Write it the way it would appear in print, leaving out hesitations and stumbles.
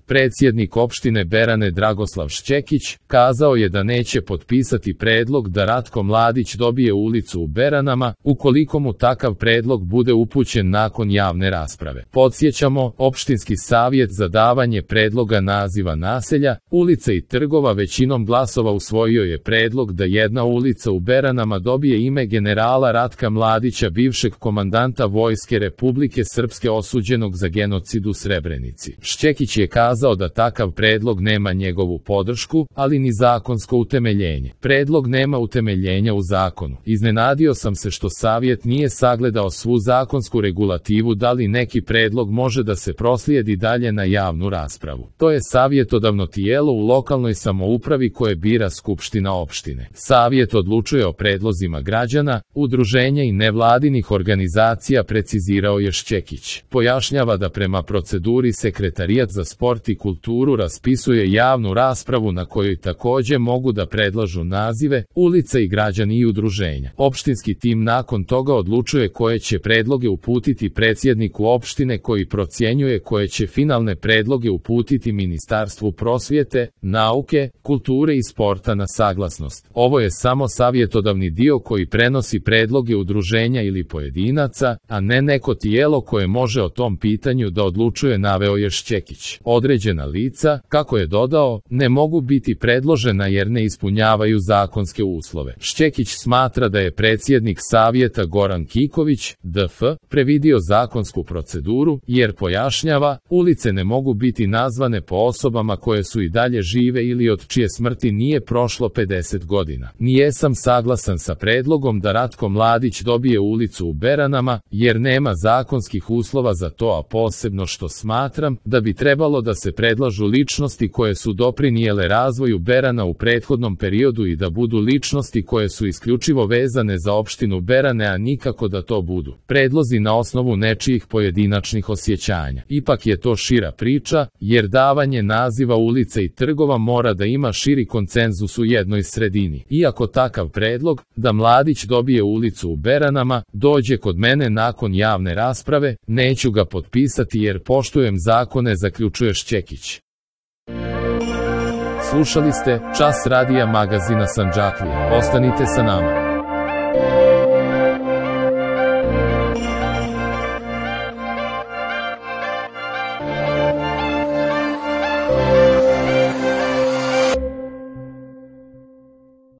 Predsjednik opštine Berane Dragoslav Šćekić kazao je da neće potpisati predlog da Ratko Mladić dobije ulicu u Beranama, ukoliko mu takav predlog bude upućen nakon javne rasprave. Podsjećamo, opštinski savjet za davanje predloga naziva naselja, ulica i trgova većinom glasova usvojio je predlog da jedna ulica u Beranama dobije ime generala Ratka Mladića, bivšeg komandanta Vojske Republike Srpske osuđenog za genocid u Srebrenici. Šćekić je kazao da takav predlog nema njegovu podršku, ali ni zakonsko utemeljenje. Predlog nema utemeljenja u zakonu. Iznenadio sam se što savjet nije sagledao svu zakonsku regulativu da li neki predlog može da se proslijedi dalje na javnu raspravu. To je savjetodavno tijelo u lokalnoj samoupravi koje bira skupština opštine. Savjet odlučuje o predlozima građana, udruženja i nevladinih organizacija, precizirao je Šćekić. Pojašnjava da prema proceduri Sekretarijat za sport i kulturu raspisuje javnu raspravu na kojoj takođe mogu da predlažu nazive, ulica i građani i udruženja. Opštinski tim nakon toga odlučuje koje će predloge uputiti predsjedniku opštine koji procjenjuje koje će finalne predloge uputiti Ministarstvu prosvjete, nauke, kulture i sporta na saglasnost. Ovo je samo savjetodavni dio koji prenosi predloge udruženja ili pojedinaca, a ne neko tijelo koje može o tom pitanju da odlučuje, naveo je Šćekić. Određena lica, kako je dodao, ne mogu biti predložena jer ne ispunjavaju zakonske uslove. Šćekić smatra da je predsjednik savjeta Goran Kiković, DF, previdio zakonsku proceduru, jer pojašnjava, ulice ne mogu biti nazvane po osobama koje su i dalje žive ili od čije smrti nije prošlo 50 godina. Nijesam saglasan sa predlogom da Ratko Mladić dobije ulicu u Beranama, jer nema zakonskih uslova za to, a posebno što smatram da bi trebalo da se predlažu ličnosti koje su doprinijele razvoju Berana u prethodnom periodu i da budu ličnosti koje su isključivo vezane za opštinu Berane, a nikako da to budu predlozi na osnovu nečijih pojedinačnih osjećanja. Ipak je to šira priča, jer davanje naziva ulica i trgova mora da ima širi konsenzus u jednoj sredini. Iako takav predlog, da Mladić dobije ulicu u Beranama, dođe kod mene nakon javne rasprave, neću ga potpisati jer poštujem zakone, zaključuje Šćekić. Slušali ste Čas radija magazina Sandžaklija. Ostanite sa nama.